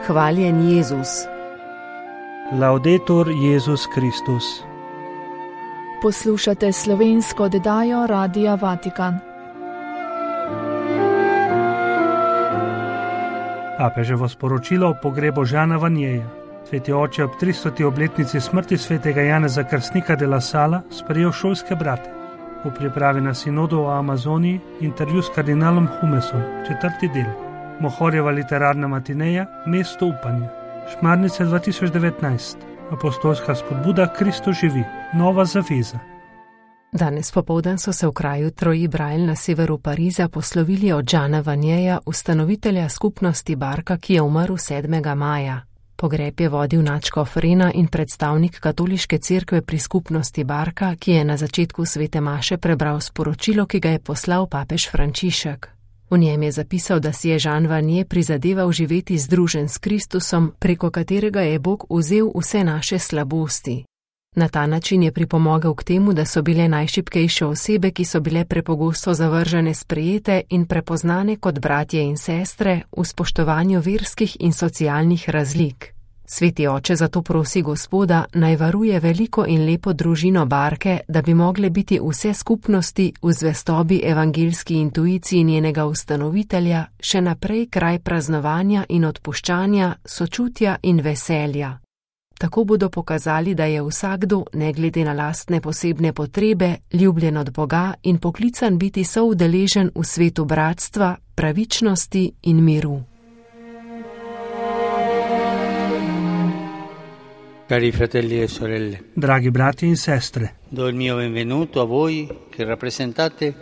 Hvaljen Jezus. Laudetur Jezus Kristus. Poslušate slovensko oddajo Radia Vatikan. Papeževo sporočilo o pogrebu Žana Vanjeja. Sveti oče ob 300. obletnici smrti svetega Janeza Krstnika de la Sala sprejel šolske brate. V pripravi na sinodu o Amazoniji intervju s kardinalom Humesom, 4. del. Mohorjeva literarna matineja, mesto upanja. Šmarnice 2019. Apostolska spodbuda Kristo živi, nova zaveza. Danes popoldan so se v kraju Troji-Brail na severu Pariza poslovili od Žana Vanjeja, ustanovitelja skupnosti Barka, ki je umrl 7. maja. Pogreb je vodil nadškof Rena in predstavnik katoliške cerkve pri skupnosti Barka, ki je na začetku svete maše prebral sporočilo, ki ga je poslal papež Frančišek. V njem je zapisal, da si je Žan Vanje prizadeval živeti združen s Kristusom, preko katerega je Bog vzel vse naše slabosti. Na ta način je pripomogel k temu, da so bile najšibkejše osebe, ki so bile prepogosto zavržene, sprejete in prepoznane kot bratje in sestre v spoštovanju verskih in socialnih razlik. Sveti oče zato prosi Gospoda, naj varuje veliko in lepo družino Barke, da bi mogle biti vse skupnosti v zvestobi evangeljski intuiciji njenega ustanovitelja še naprej kraj praznovanja in odpuščanja, sočutja in veselja. Tako bodo pokazali, da je vsakdo, ne glede na lastne posebne potrebe, ljubljen od Boga in poklican biti soudeležen v svetu bratstva, pravičnosti in miru. Cari fratelli e sorelle, Dragi brati in sestre, do il mio benvenuto a voi che rappresentate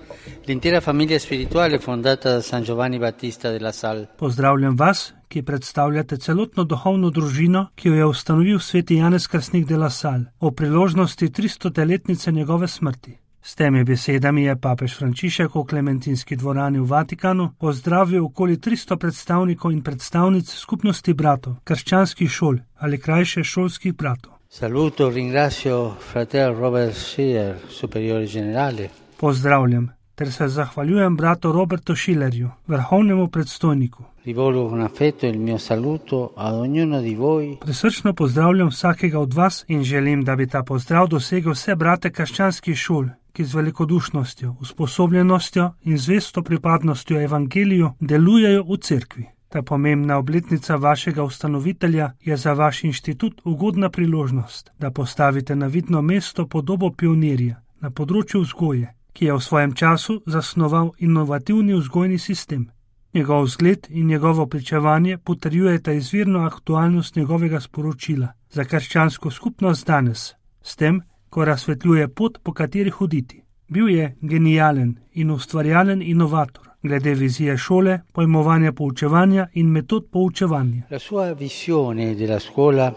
l'intera famiglia spirituale fondata da San Giovanni Battista della Salle. pozdravljam vas, ki predstavljate celotno duhovno družino, ki jo je ustanovil sveti Janez Krstnik de la Salle, o priložnosti 300-letnice njegove smrti. S temi besedami je papež Frančišek v Klementinski dvorani v Vatikanu pozdravil okoli 300 predstavnikov in predstavnic skupnosti bratov, krščanskih šol ali krajše šolskih bratov. Saluto, ringrazio fratel Robert Schiller, superiore generale. Pozdravljam ter se zahvaljujem bratu Robertu Schillerju, vrhovnemu predstojniku. Rivolgo con affetto il mio saluto ad ognuno di voi. Prisrčno pozdravljam vsakega od vas in želim, da bi ta pozdrav dosegel vse brate krščanskih šol, ki z velikodušnostjo, usposobljenostjo in zvesto pripadnostjo evangeliju delujejo v cerkvi. Ta pomembna obletnica vašega ustanovitelja je za vaš inštitut ugodna priložnost, da postavite na vidno mesto podobo pionirja na področju vzgoje, ki je v svojem času zasnoval inovativni vzgojni sistem. Njegov vzgled in njegovo pričevanje potrjujeta izvirno aktualnost njegovega sporočila za krščansko skupnost danes, s tem, ko razsvetljuje pot, po kateri hoditi. Bil je genijalen in ustvarjalen inovator glede vizije šole, pojmovanja poučevanja in metod poučevanja. La sua visione della scuola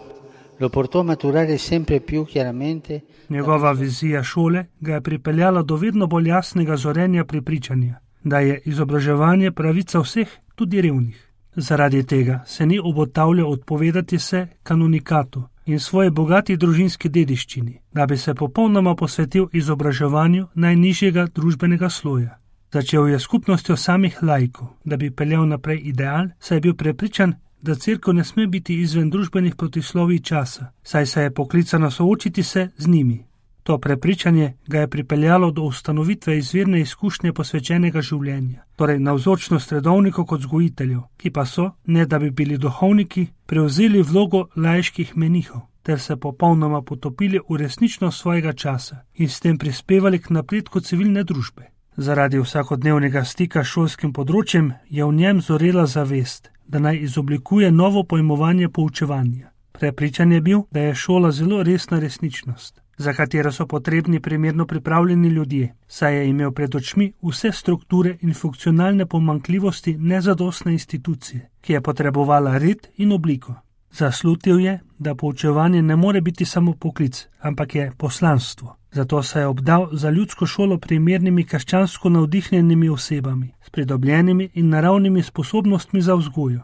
lo portò a maturare sempre più chiaramente. Njegova vizija šole ga je pripeljala do vedno bolj jasnega zorenja prepričanja, da je izobraževanje pravica vseh, tudi revnih. Zaradi tega se ni obotavljal odpovedati se kanonikatu in svoje bogati družinski dediščini, da bi se popolnoma posvetil izobraževanju najnižjega družbenega sloja. Začel je skupnostjo samih laikov, da bi peljal naprej ideal, saj je bil prepričan, da cerkev ne sme biti izven družbenih protislovij časa, saj se je poklicana soočiti se z njimi. To prepričanje ga je pripeljalo do ustanovitve izvirne izkušnje posvečenega življenja, torej navzočnost redovnikov kot vzgojiteljev, ki pa so, ne da bi bili duhovniki, prevzeli vlogo laiških menihov, ter se popolnoma potopili v resničnost svojega časa in s tem prispevali k napredku civilne družbe. Zaradi vsakodnevnega stika s šolskim področjem je v njem zorela zavest, da naj izoblikuje novo pojmovanje poučevanja. Prepričan je bil, da je šola zelo resna resničnost, za katero so potrebni primerno pripravljeni ljudje, saj je imel pred očmi vse strukture in funkcionalne pomanjkljivosti nezadostne institucije, ki je potrebovala red in obliko. Zaslutil je, da poučevanje ne more biti samo poklic, ampak je poslanstvo. Zato se je obdal za ljudsko šolo primernimi krščansko navdihnjenimi osebami, s pridobljenimi in naravnimi sposobnostmi za vzgojo.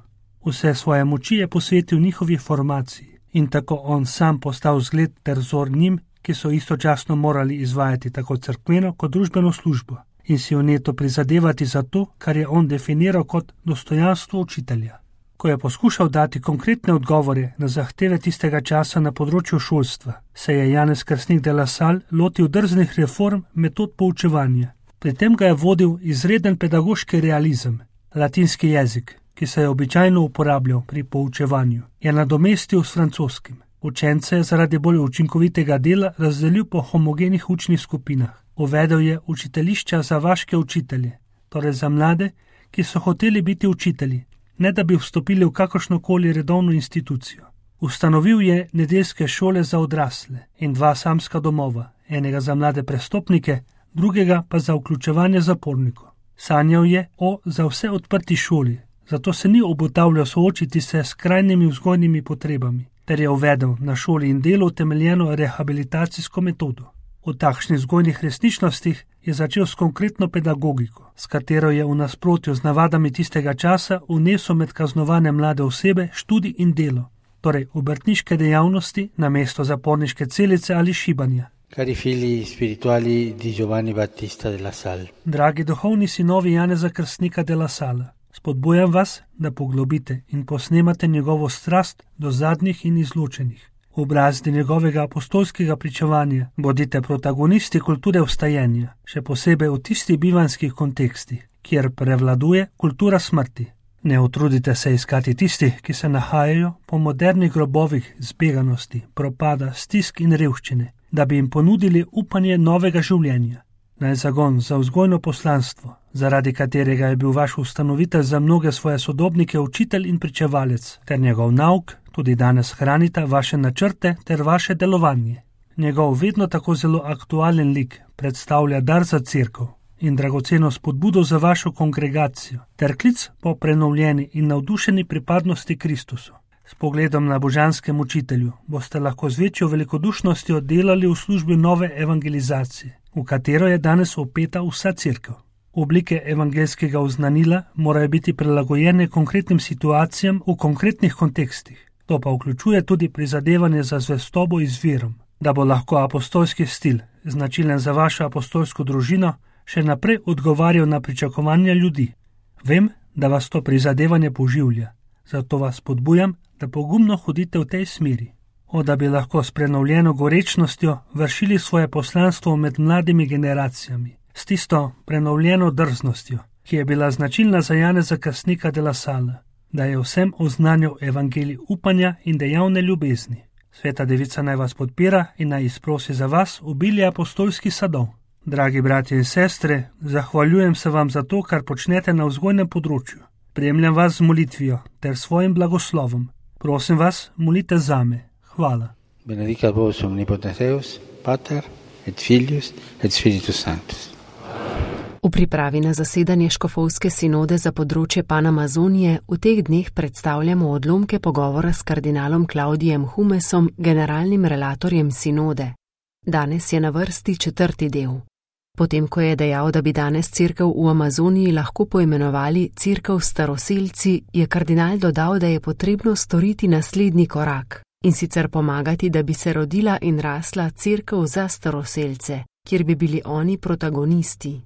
Vse svoje moči je posvetil njihovi formaciji in tako on sam postal zgled ter vzor njim, ki so istočasno morali izvajati tako cerkveno kot družbeno službo in si vneto prizadevati za to, kar je on definiral kot dostojanstvo učitelja. Ko je poskušal dati konkretne odgovore na zahteve tistega časa na področju šolstva, se je Janez Krstnik de la Salle lotil drznih reform metod poučevanja. Pri tem ga je vodil izreden pedagoški realizem. Latinski jezik, ki se je običajno uporabljal pri poučevanju, je nadomestil s francoskim. Učence je zaradi bolj učinkovitega dela razdelil po homogenih učnih skupinah. Uvedel je učiteljišča za vaške učitelje, torej za mlade, ki so hoteli biti učitelji, ne da bi vstopili v kakršnokoli redovno institucijo. Ustanovil je nedeljske šole za odrasle in 2 samska domova, enega za mlade prestopnike, drugega pa za vključevanje zapornikov. Sanjal je o za vse odprti šoli, zato se ni obotavljal soočiti se s krajnimi vzgojnimi potrebami, ter je uvedel na šoli in delu utemeljeno rehabilitacijsko metodo. V takšnih vzgojnih resničnostih je začel s konkretno pedagogiko, s katero je v nasprotju z navadami tistega časa vnesel med kaznovane mlade osebe študij in delo, torej obrtniške dejavnosti namesto zaporniške celice ali šibanja. Cari figli spirituali di Giovanni Battista de la Salle. Dragi duhovni sinovi Janeza Krstnika de la Salle, spodbujam vas, da poglobite in posnemate njegovo strast do zadnjih in izločenih. V brazdi njegovega apostolskega pričevanja bodite protagonisti kulture vstajenja, še posebej v tistih bivanskih kontekstih, kjer prevladuje kultura smrti. Ne utrudite se iskati tistih, ki se nahajajo po modernih grobovih zbeganosti, propada, stisk in revščine, da bi jim ponudili upanje novega življenja. Naj zagon za vzgojno poslanstvo, zaradi katerega je bil vaš ustanovitelj za mnoge svoje sodobnike učitelj in pričevalec, ter njegov nauk tudi danes hranita vaše načrte ter vaše delovanje. Njegov vedno tako zelo aktualen lik predstavlja dar za cerkev in dragoceno spodbudo za vašo kongregacijo, ter klic po prenovljeni in navdušeni pripadnosti Kristusu. S pogledom na božanskem učitelju boste lahko z večjo velikodušnostjo delali v službi nove evangelizacije, v katero je danes opeta vsa cerkev. Oblike evangelskega oznanila morajo biti prilagojene konkretnim situacijam v konkretnih kontekstih. To pa vključuje tudi prizadevanje za zvestobo izvirom, da bo lahko apostolski stil, značilen za vašo apostolsko družino, še naprej odgovarjal na pričakovanja ljudi. Vem, da vas to prizadevanje poživlja, zato vas podbujam, da pogumno hodite v tej smeri. Da bi lahko s prenovljeno gorečnostjo vršili svoje poslanstvo med mladimi generacijami, s tisto prenovljeno drznostjo, ki je bila značilna za Janeza Krstnika de la Salle, da je vsem oznanjal evangelij upanja in dejavne ljubezni. Sveta Devica naj vas podpira in naj izprosi za vas obilje apostolskih sadov. Dragi bratje in sestre, zahvaljujem se vam za to, kar počnete na vzgojnem področju. Spremljam vas z molitvijo ter svojim blagoslovom. Prosim vas, molite zame. Hvala. Benedicat vos omnipotens Deus, Pater et Filius et Spiritus Sanctus. V pripravi na zasedanje škofovske sinode za področje Panamazonije v teh dneh predstavljamo odlomke pogovora s kardinalom Klaudijem Humesom, generalnim relatorjem sinode. Danes je na vrsti 4. del. Potem, ko je dejal, da bi danes cerkev v Amazoniji lahko poimenovali cerkev staroselci, je kardinal dodal, da je potrebno storiti naslednji korak, in sicer pomagati, da bi se rodila in rasla cerkev za staroselce, kjer bi bili oni protagonisti.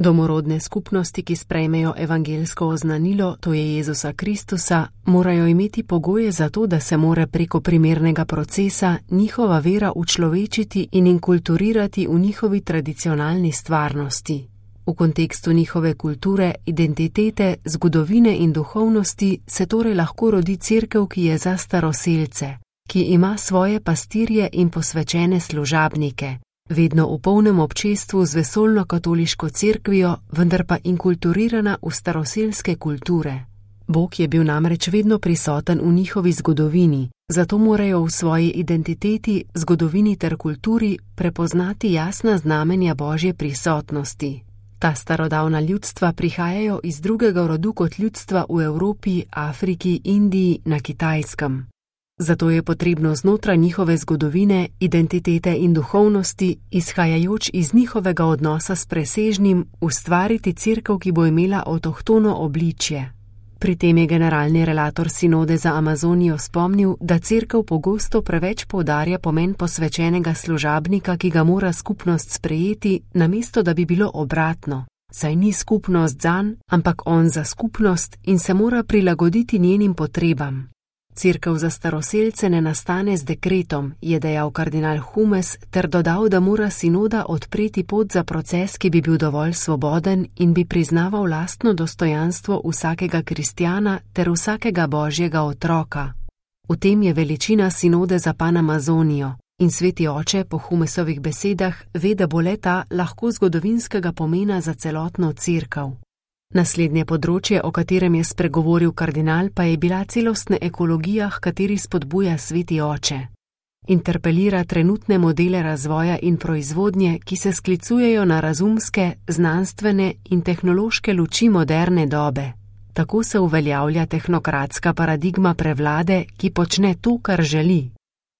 Domorodne skupnosti, ki sprejmejo evangelsko oznanilo, to je Jezusa Kristusa, morajo imeti pogoje za to, da se mora preko primernega procesa njihova vera učlovečiti in inkulturirati v njihovi tradicionalni stvarnosti. V kontekstu njihove kulture, identitete, zgodovine in duhovnosti se torej lahko rodi cerkev, ki je za staroselce, ki ima svoje pastirje in posvečene služabnike, vedno v polnem občestvu z vesoljno katoliško cerkvijo, vendar pa inkulturirana v staroselske kulture. Bog je bil namreč vedno prisoten v njihovi zgodovini, zato morajo v svoji identiteti, zgodovini ter kulturi prepoznati jasna znamenja Božje prisotnosti. Ta starodavna ljudstva prihajajo iz drugega rodu kot ljudstva v Evropi, Afriki, Indiji, na Kitajskem. Zato je potrebno znotraj njihove zgodovine, identitete in duhovnosti, izhajajoč iz njihovega odnosa s presežnim, ustvariti cerkev, ki bo imela avtohtono obličje. Pri tem je generalni relator sinode za Amazonijo spomnil, da cerkev pogosto preveč poudarja pomen posvečenega služabnika, ki ga mora skupnost sprejeti, namesto da bi bilo obratno, Saj ni skupnost zanj, ampak on za skupnost in se mora prilagoditi njenim potrebam. Cerkev za staroselce ne nastane z dekretom, je dejal kardinal Humes ter dodal, da mora sinoda odpreti pot za proces, ki bi bil dovolj svoboden in bi priznaval lastno dostojanstvo vsakega kristjana ter vsakega božjega otroka. V tem je veličina sinode za Panamazonijo in sveti oče po Humesovih besedah ve, da bo le-ta lahko zgodovinskega pomena za celotno cerkev. Naslednje področje, o katerem je spregovoril kardinal, pa je bila celostna ekologija, h kateri spodbuja sveti oče. Interpelira trenutne modele razvoja in proizvodnje, ki se sklicujejo na razumske, znanstvene in tehnološke luči moderne dobe. Tako se uveljavlja tehnokratska paradigma prevlade, ki počne to, kar želi.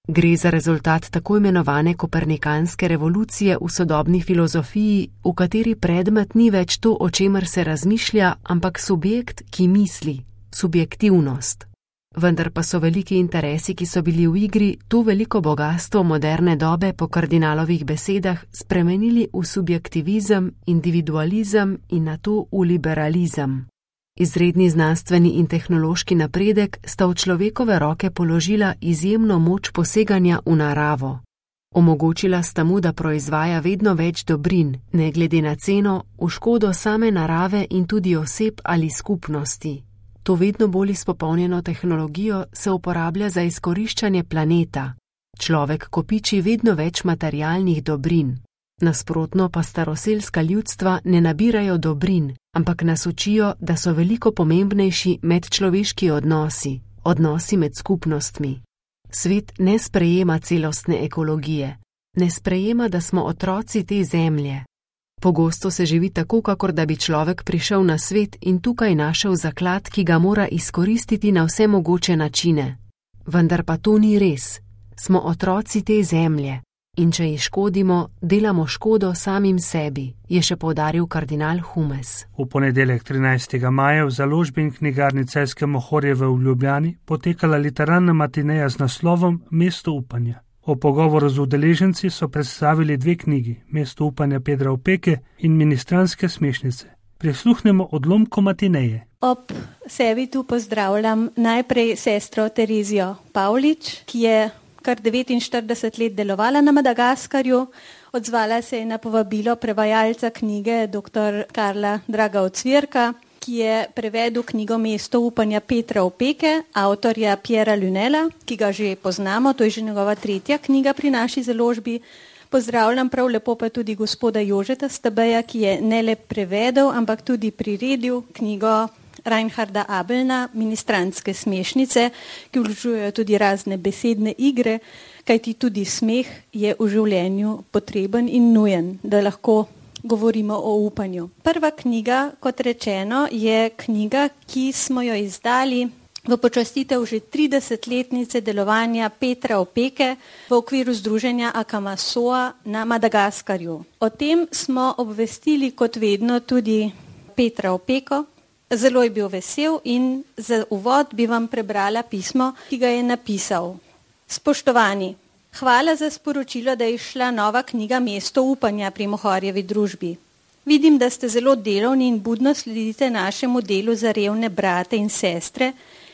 Gre za rezultat tako imenovane kopernikanske revolucije v sodobni filozofiji, v kateri predmet ni več to, o čemer se razmišlja, ampak subjekt, ki misli, subjektivnost. Vendar pa so veliki interesi, ki so bili v igri, to veliko bogastvo moderne dobe po kardinalovih besedah spremenili v subjektivizem, individualizem in nato v liberalizem. Izredni znanstveni in tehnološki napredek sta v človekove roke položila izjemno moč poseganja v naravo. Omogočila sta mu, da proizvaja vedno več dobrin, ne glede na ceno, v škodo same narave in tudi oseb ali skupnosti. To vedno bolj izpopolnjeno tehnologijo se uporablja za izkoriščanje planeta. Človek kopiči vedno več materialnih dobrin. Nasprotno pa staroselska ljudstva ne nabirajo dobrin, ampak nas učijo, da so veliko pomembnejši medčloveški odnosi, odnosi med skupnostmi. Svet ne sprejema celostne ekologije, ne sprejema, da smo otroci te zemlje. Pogosto se živi tako, kakor da bi človek prišel na svet in tukaj našel zaklad, ki ga mora izkoristiti na vse mogoče načine. Vendar pa to ni res. Smo otroci te zemlje. In če ji škodimo, delamo škodo samim sebi, je še poudaril kardinal Humes. V ponedeljek 13. maja v založbi in knjigarni Celjske Mohorjeve v Ljubljani potekala literarna matineja z naslovom Mesto upanja. O pogovoru z udeleženci so predstavili 2 knjigi, Mesto upanja Pedra Opeke in Ministranske smešnice. Prisluhnemo odlomku matineje. Ob sebi tu pozdravljam najprej sestro Terezijo Pavlič, ki je kar 49 let delovala na Madagaskarju. Odzvala se je na povabilo prevajalca knjige dr. Karla Draga Ocvirka, ki je prevedel knjigo Mesto upanja Petra Opeke, avtorja Piera Lunela, ki ga že poznamo, to je že njegova 3. knjiga pri naši založbi. Pozdravljam prav lepo pa tudi gospoda Jožeta Stabeja, ki je ne le prevedel, ampak tudi priredil knjigo Reinharda Abelna, Ministranske smešnice, ki vključujejo tudi razne besedne igre, kajti tudi smeh je v življenju potreben in nujen, da lahko govorimo o upanju. Prva knjiga, kot rečeno, je knjiga, ki smo jo izdali v počastitev že 30-letnice delovanja Petra Opeke v okviru združenja Akamasoa na Madagaskarju. O tem smo obvestili kot vedno tudi Petra Opeko. Zelo je bil vesel in za uvod bi vam prebrala pismo, ki ga je napisal. Spoštovani, hvala za sporočilo, da je izšla nova knjiga Mesto upanja pri Mohorjevi družbi. Vidim, da ste zelo delovni in budno sledite našemu delu za revne brate in sestre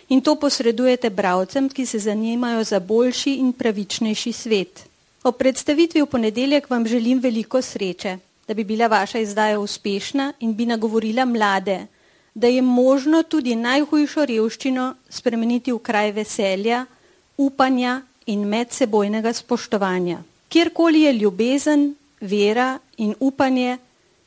in to posredujete bralcem, ki se zanimajo za boljši in pravičnejši svet. Ob predstavitvi v ponedeljek vam želim veliko sreče, da bi bila vaša izdaja uspešna in bi nagovorila mlade, da je možno tudi najhujšo revščino spremeniti v kraj veselja, upanja in medsebojnega spoštovanja. Kjerkoli je ljubezen, vera in upanje,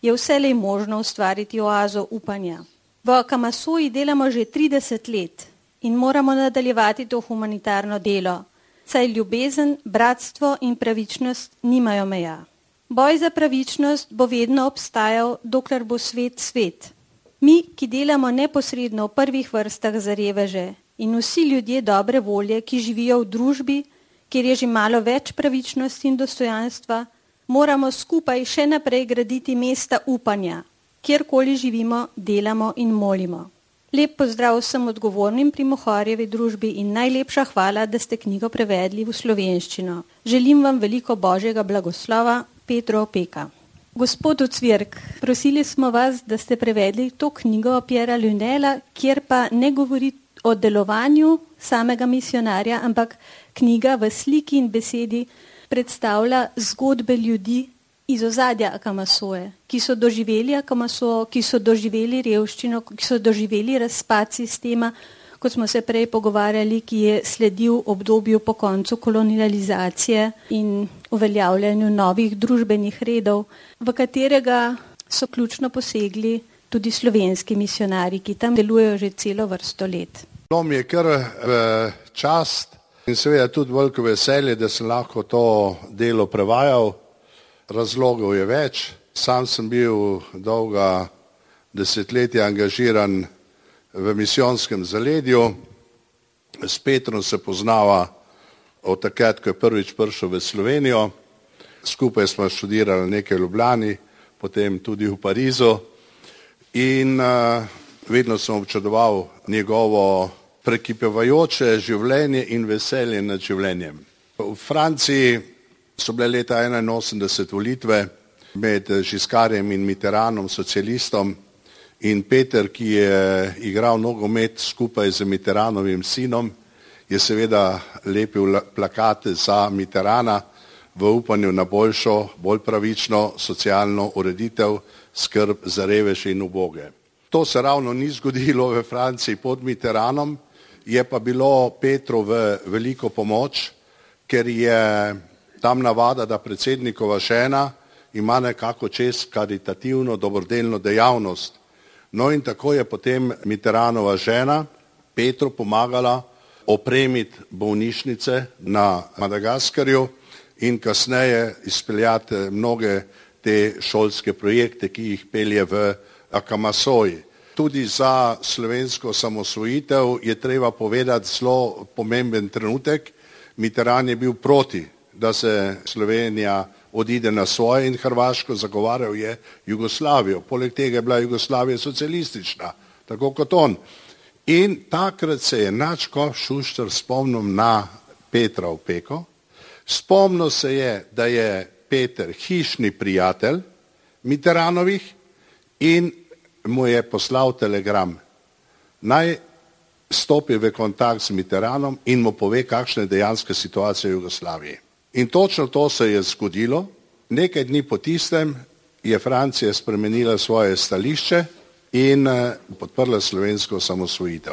je vselej možno ustvariti oazo upanja. V Akamasoji delamo že 30 let in moramo nadaljevati to humanitarno delo, saj ljubezen, bratstvo in pravičnost nimajo meja. Boj za pravičnost bo vedno obstajal, dokler bo svet svet. Mi, ki delamo neposredno v prvih vrstah za reveže in vsi ljudje dobre volje, ki živijo v družbi, kjer je že malo več pravičnosti in dostojanstva, moramo skupaj še naprej graditi mesta upanja, kjerkoli živimo, delamo in molimo. Lep pozdrav vsem odgovornim pri Mohorjevi družbi in najlepša hvala, da ste knjigo prevedli v slovenščino. Želim vam veliko božjega blagoslova, Pedro Opeka. Gospod Ocvirk, prosili smo vas, da ste prevedli to knjigo Piera Lunela, kjer pa ne govori o delovanju samega misionarja, ampak knjiga v sliki in besedi predstavlja zgodbe ljudi iz ozadja Akamasoje, ki so doživeli Akamaso, ki so doživeli revščino, ki so doživeli razpad sistema, kot smo se prej pogovarjali, ki je sledil obdobju po koncu kolonializacije in uveljavljanju novih družbenih redov, v katerega so ključno posegli tudi slovenski misionarji, ki tam delujejo že celo vrsto let. Mi je kar čast in seveda tudi veliko veselje, da sem lahko to delo prevajal. Razlogov je več. Sam sem bil dolga desetletja angažiran v misijonskem zaledju. S Petrom se poznava od takrat, ko je prvič prišel v Slovenijo. Skupaj smo študirali nekaj v Ljubljani, potem tudi v Parizu. In vedno sem občudoval njegovo prekipevajoče življenje in veselje nad življenjem. V Franciji so bile leta 1981 volitve med Giscardom in Mitterrandom, socialistom, in Peter, ki je igral nogomet skupaj z Mitterrandovim sinom, je seveda lepil plakate za Mitterranda v upanju na boljšo, bolj pravično socialno ureditev, skrb za reveže in uboge. To se ravno ni zgodilo v Franciji pod Mitterrandom, je pa bilo Petru v veliko pomoč, ker je tam navada, da predsednikova žena ima nekako čez karitativno dobrodelno dejavnost. No in tako je potem Mitterrandova žena Petru pomagala opremiti bolnišnice na Madagaskarju in kasneje izpeljati mnoge te šolske projekte, ki jih pelje v Akamasoji. Tudi za slovensko samosvojitev je treba povedati zelo pomemben trenutek. Mitterrand je bil proti, da se Slovenija odide na svoje in Hrvaško, zagovarjal je Jugoslavijo. Poleg tega je bila Jugoslavija socialistična, tako kot on. In takrat se je nadškof Šuštar spomnil na Petra Opeko. Spomnil se je, da je Peter hišni prijatelj Mitterrandovih in mu je poslal telegram. Naj stopi v kontakt z Mitterrandom in mu pove, kakšna je dejanska situacija v Jugoslaviji. In točno to se je zgodilo. Nekaj dni po tistem je Francija spremenila svoje stališče in podprla slovensko samosvojitev.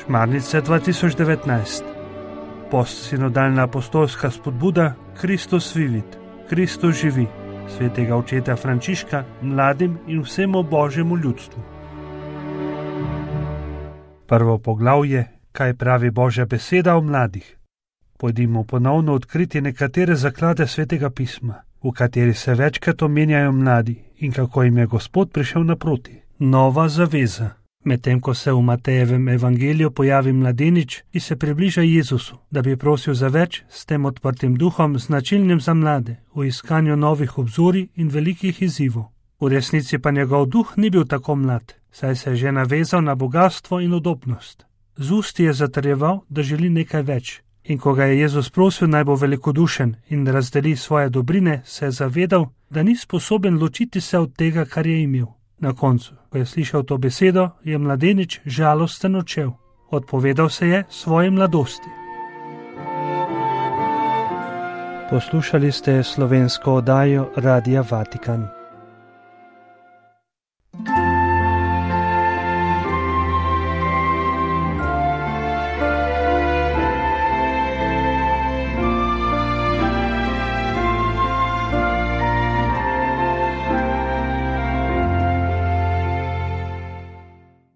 Šmarnice 2019. Postsinodalna apostolska spodbuda Kristus vivit, Kristus živi, svetega očeta Frančiška mladim in vsemu božjemu ljudstvu. Prvo poglavje, kaj pravi Božja beseda o mladih. Pojdimo ponovno odkriti nekatere zaklade svetega pisma, v kateri se večkrat omenjajo mladi in kako jim je Gospod prišel naproti. Nova zaveza. Medtem ko se v Matejevem evangeliju pojavi mladenič, ki se približa Jezusu, da bi prosil za več, s tem odprtim duhom, značilnim za mlade, v iskanju novih obzorij in velikih izzivov. V resnici pa njegov duh ni bil tako mlad, saj se je že navezal na bogastvo in udobnost. Z usti je zatrjeval, da želi nekaj več. In ko ga je Jezus prosil, naj bo velikodušen in razdeli svoje dobrine, se je zavedal, da ni sposoben ločiti se od tega, kar je imel. Na koncu, ko je slišal to besedo, je mladenič žalosten odšel. Odpovedal se je svoji mladosti. Poslušali ste slovensko oddajo Radia Vatikan.